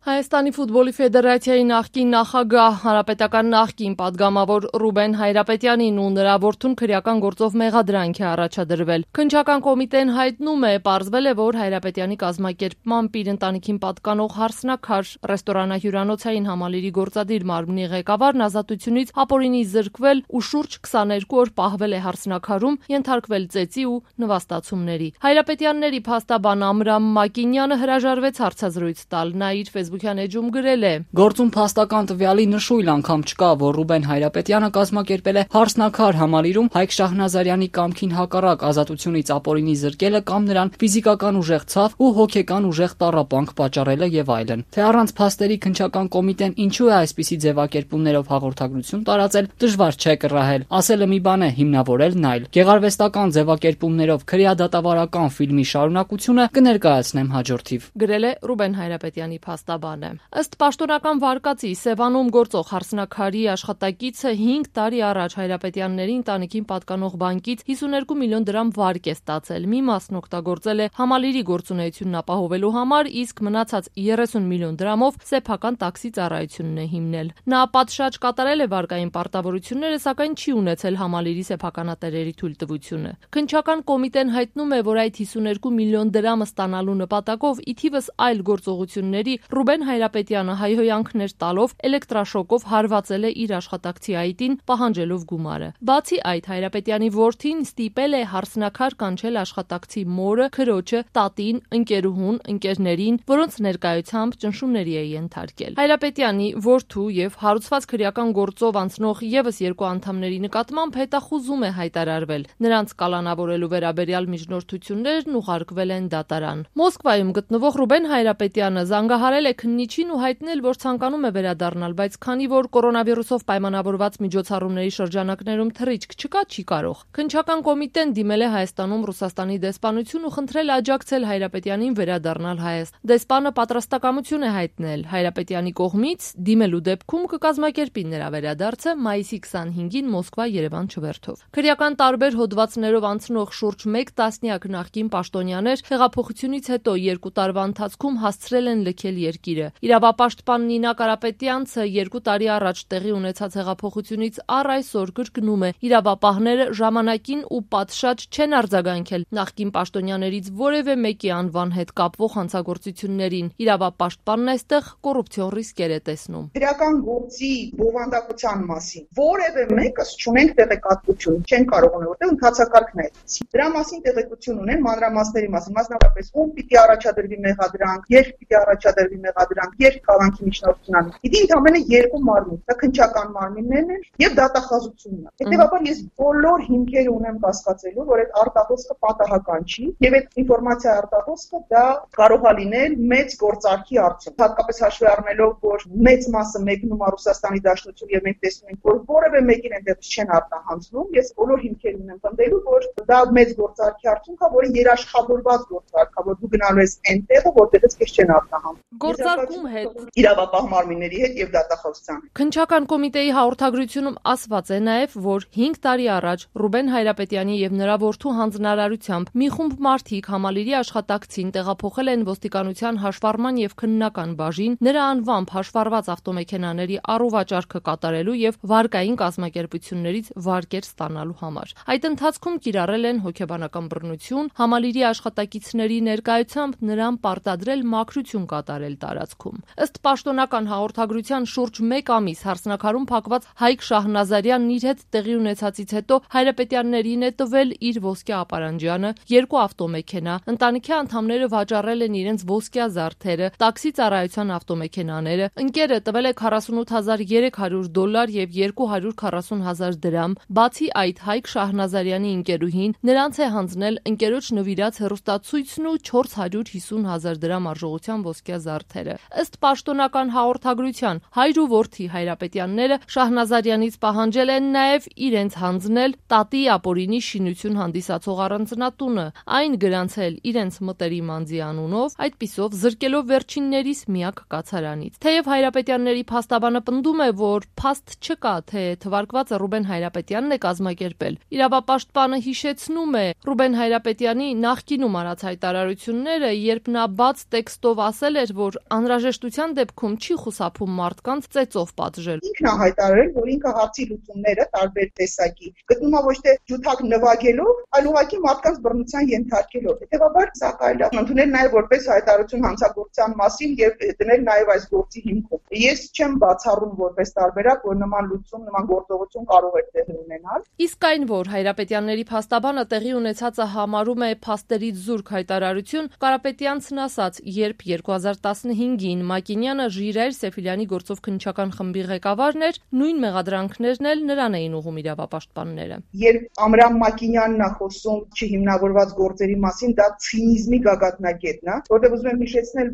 Հայաստանի ֆուտբոլի ֆեդերացիայի նախկին նախագահ, հանրապետական նախկին պատգամավոր Ռուբեն Հայրապետյանին ու նրա որդուն քրեական գործով մեղադրանք է առաջադրվել։ Քննչական կոմիտեն հայտնում է, պարզվել է, որ Հայրապետյանի կազմակերպմամբ իր ընտանիքին պատկանող Հարսնաքար ռեստորանահյուրանոցային համալիրի գործադիր մարմնի ղեկավարն ազատությունից ապօրինի զրկվել ու շուրջ 22 օր պահվել է Հարսնաքարում, ենթարկվել ծեծի ու նվաստացումների։ Հայրապետյանների փաստաբան Ամրամ Մակինյանը հրաժարվեց հարցազրույց տալ, նա իր Facebook-յան էջում գրել է. Գործում փաստական տվյալի նշույլ անգամ չկա, որ Ռուբեն Հայրապետյանը կազմակերպել է Հարսնաքար համալիրում Հայկ Շահնազարյանի կամքին հակառակ ազատությունից ապօրինի զրկելը կամ նրան ֆիզիկական ուժեղ ցավ ու հոգեկան ուժեղ տառապանք պատճառելը եւ այլն։ Թե առանց փաստերի քննչական կոմիտեն ինչու է այսպիսի ձևակերպումներով հաղորդագրություն տարածել, դժվար չէ կռահել։ Ասելը մի բան է, հիմնավորելն այլ։ Գեղարվեստական ձևակերպումներով քրեադատավարական ֆիլմի շարունակությունը կներկայացնեմ հաջորդիվ։ Գրել է Ռուբեն Հայրապետյանի փաստաբանը։ Ըստ պաշտոնական վարկածի Սևանում գործող Հարսնաքարի աշխատակիցը 5 տարի առաջ Հայրապետյանների ընտանիքին պատկանող բանկից 52 միլիոն դրամ վարկ է ստացել։ Մի մասն օգտագործել է համալիրի գործունեությունն ապահովելու համար, իսկ մնացած 30 միլիոն դրամով սեփական տաքսի ծառայությունն է հիմնել։ Նա պատշաճ կատարել է վարկային պարտավորությունները, սակայն չի ունեցել համալիրի սեփականատերերի թույլտվությունը։ Քննչական կոմիտեն հայտնում է, որ այդ 52 միլիոն դրամը ստանալու նպատակով ի թիվս այլ գործողությունների Ռուբեն Հայրապետյանը հայհոյանքներ տալով էլեկտրաշոկով հարվածել է իր աշխատակցի այտին, պահանջելով գումարը։ Բացի այդ, Հայրապետյանի որդին ստիպել է Հարսնաքար կանչել աշխատակցի մորը, քրոջը, տատին, ընկերուհուն, ընկերներին, որոնց ներկայությամբ ճնշումների է ենթարկել։ Հայրապետյանի որդու եւ հարուցված քրեական գործով անցնող եւս 2 անդամների նկատմամբ հետախուզում է հայտարարվել։ Նրանց կալանավորելու վերաբերյալ միջնորդություններն ուղարկվել են դատարան։ Մոսկվայում գտնվող Ռուբեն Հայրապետյանը զանգահարել է քննիչին ու հայտնել, որ ցանկանում է վերադառնալ, բայց քանի որ կորոնավիրուսով պայմանավորված միջոցառումների շրջանակներում թռիչք չկա, չի կարող։ Քննչական կոմիտեն դիմել է Հայաստանում Ռուսաստանի դեսպանություն ու խնդրել աջակցել Հայրապետյանին վերադառնալ Հայաստան։ Դեսպանը պատրաստակամություն է հայտնել Հայրապետյանի կողմից դիմելու դեպքում կկազմակերպի նրա վերադարձը մայիսի 25-ին Մոսկվա-Երևան չվերթով։ Քրեական տարբեր հոդվածներով անցնող շուրջ 1 տասնյակ նախկին պաշտոնյաներ հեղափոխությունից հետո 2 տարվա ընթացքում հասցրել են լքել երկիրը։ Իրավապաշտպան Նինա Կարապետյանցը 2 տարի առաջ տեղի ունեցած հեղափոխությունից առ այսօր կրկնում է. իրավապահները ժամանակին ու պատշաճ չեն արձագանքել նախկին պաշտոնյաներից որևէ մեկի անվան հետ կապվող հանցագործություններին։ Իրավապաշտպանն այստեղ կոռուպցիոն ռիսկեր է տեսնում։ Քրեական գործի բովանդակության մասին որևէ մեկս չունենք տեղեկատվություն, չեն կարող ունել, որտեղ ընթացակարգն է այդպիսի։ Դրա մասին տեղեկություն ունեն մանրամասների մասին, մասնավորապես ում պիտի առաջադրվի մեղադրանք, երբ պիտի առաջադրվի մեղադրանք, երբ քաղաքի միջնորդություն անի։ Իդի ընդամենը 2 մարմին, դա քննչական մարմիններն են եւ դատախազությունն է։ Հետեւաբար ես բոլոր հիմքերը ունեմ կասկածելու, որ այդ արտահոսքը պատահական չի եւ այդ ինֆորմացիա արտահոսքը դա կարող է լինել մեծ գործարքի արդյունք։ Հատկապես հաշվի առնելով, որ մեծ մասը մեկնում է Ռուսաստանի Դաշնություն եւ մենք տեսնում ենք, որ որևէ մեկին այնտեղից չեն արտահանձնում, ես բոլոր հիմքեր ունեմ պնդելու, որ դա մեծ գործարքի արդյունք է, որը երաշխավորված գործարք է, որ դու գնալու ես այնտեղը, որտեղից քեզ չեն արտահանում։ Գործարկում հետ իրավապահ մարմինների հետ եւ դատախազության։ Քննչական կոմիտեի հաղորդագրությունում ասված է նաեւ, որ 5 տարի առաջ Ռուբեն Հայրապետյանի եւ նրա որդու հանձնարարությամբ մի խումբ մարդիկ համալիրի աշխատակցին տեղափոխել են ոստիկանության հաշվառման եւ քննական բաժին, նրա անվամբ հաշվառված ավտոմեքենաների առուվաճառքը կատարելու եւ վարկային կազմակերպություններից վարկեր ստանալու համար։ Այդ ընթացքում կիրառել են հոգեբանական բռնություն, համալիրի աշխատակիցների ներկայությամբ նրան պարտադրել մաքրություն կատարել տարածքում։ Ըստ պաշտոնական հաղորդագրության շուրջ 1 ամիս Հարսնաքարում փակված Հայկ Շահնազարյանն իր հետ տեղի ունեցածից հետո Հայրապետյաններին է տվել իր ոսկե ապարանջյանը, 2 ավտոմեքենա, ընտանիքի անդամները վաճառել են իրենց ոսկյա զարդերը, տաքսի ծառայության ավտոմեքենաները, ընկերը տվել է $48300 եւ $240,000 դրամ։ Բացի այդ, Հայկ Շահնազարյանի ընկերուհին նրանց է հանձնել ընկերոջ նվիրած հեռուստացույցն ու $450,000 դրամ արժողության ոսկյա զարդերը։ Ըստ պաշտոնական հաղորդագրության, հայր ու որդի Հայրապետյանները Շահնազարյանից պահանջել են նաև իրենց հանձնել տատի ապօրինի շինություն հանդիսացող առանձնատունը, այն գրանցել իրենց մտերիմ անձի անունով, այդպիսով զրկելով վերջիններիս միակ կացարանից։ Թեև Հայրապետյանների փաստաբանը պնդում է, որ փաստ չկա, թե թվարկվածը Ռուբեն Հայրապետյանն է կազմակերպել։ Իրավապաշտպանը հիշեցնում է Ռուբեն Հայրապետյանի նախկինում արած հայտարարությունները, երբ նա բաց տեքստով ասել էր, որ անհրաժեշտության դեպքում չի խուսափում մարդկանց ծեծով պատժել։ Ինքն է հայտարարել, որ ինքը հարցի լուծումները տարբեր տեսակի գտնում է ոչ թե ջութակ նվագելով, այլ ուղղակի մարդկանց բռնության ենթարկելով։ Հետևաբար սա կարելի է ընդունել նաև որպես հայտարարություն հանցագործության մասին եւ դնել նաև այս գործի հիմքում։ Ես չեմ բացառում որպես տարբերակ, որ նման լուծում, նման գործողություն կարող է տեղի ունենալ։ Իսկ այն, որ Հայրապետյանների փաստաբանը տեղի ունեցածը համարում է փաստերից զուրկ հայտարարություն, Կարապետյանցն ասաց, երբ 2015-ին Մակինյանը Ժիրայր Սեֆիլյանի գործով քննչական խմբի ղեկավարն էր, նույն մեղադրանքներն էլ նրան էին ուղղում իրավապաշտպանները։ Երբ Ամրամ Մակինյանն է խոսում չհիմնավորված գործերի մասին, դա ցինիզմի գագաթնակետն է, որտեղ ուզում եմ հիշեցնել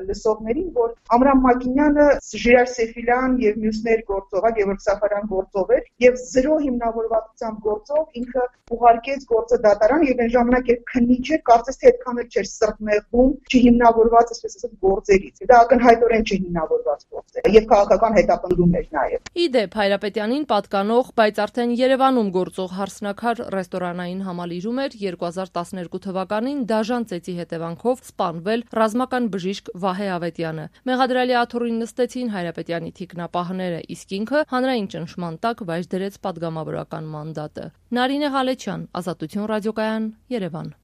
լսողներին, որ Ամրամ Մակինյանը Ժիրայր Սեֆիլյան եւ մյուսներ գործով, Գևորգ Սաֆարյան գործով էր եւ զրո հիմնավորվածությամբ գործով ինքը ուղարկեց գործը դատարան եւ այն ժամանակ էր քննիչ էր, կարծես թե այդքան էլ չէր սրտմեղվում չհիմնավորված, այսպես ասած, գործերից։ Դա ակնհայտորեն չհիմնավորված գործ է եւ քաղաքական հետապնդում էր նաեւ։ Իդեպ Հայրապետյանին պատկանող, բայց արդեն Երևանում գործող Հարսնաքար ռեստորանային համալիրում էր 2012 թվականին դաժան ծեծի հետևանքով սպանվել ռազմական բժիշկ Վահե Ավետյանը։ Մեղադրյալի աթոռին նստեցին Հայրապետյանի թիկնապահները, իսկ ինքը հանրային ճնշման տակ վայր դրեց պատգամավորական մանդատը։ Նարինե Ղալեչյան, Ազատություն ռադիոկայան, Երևան։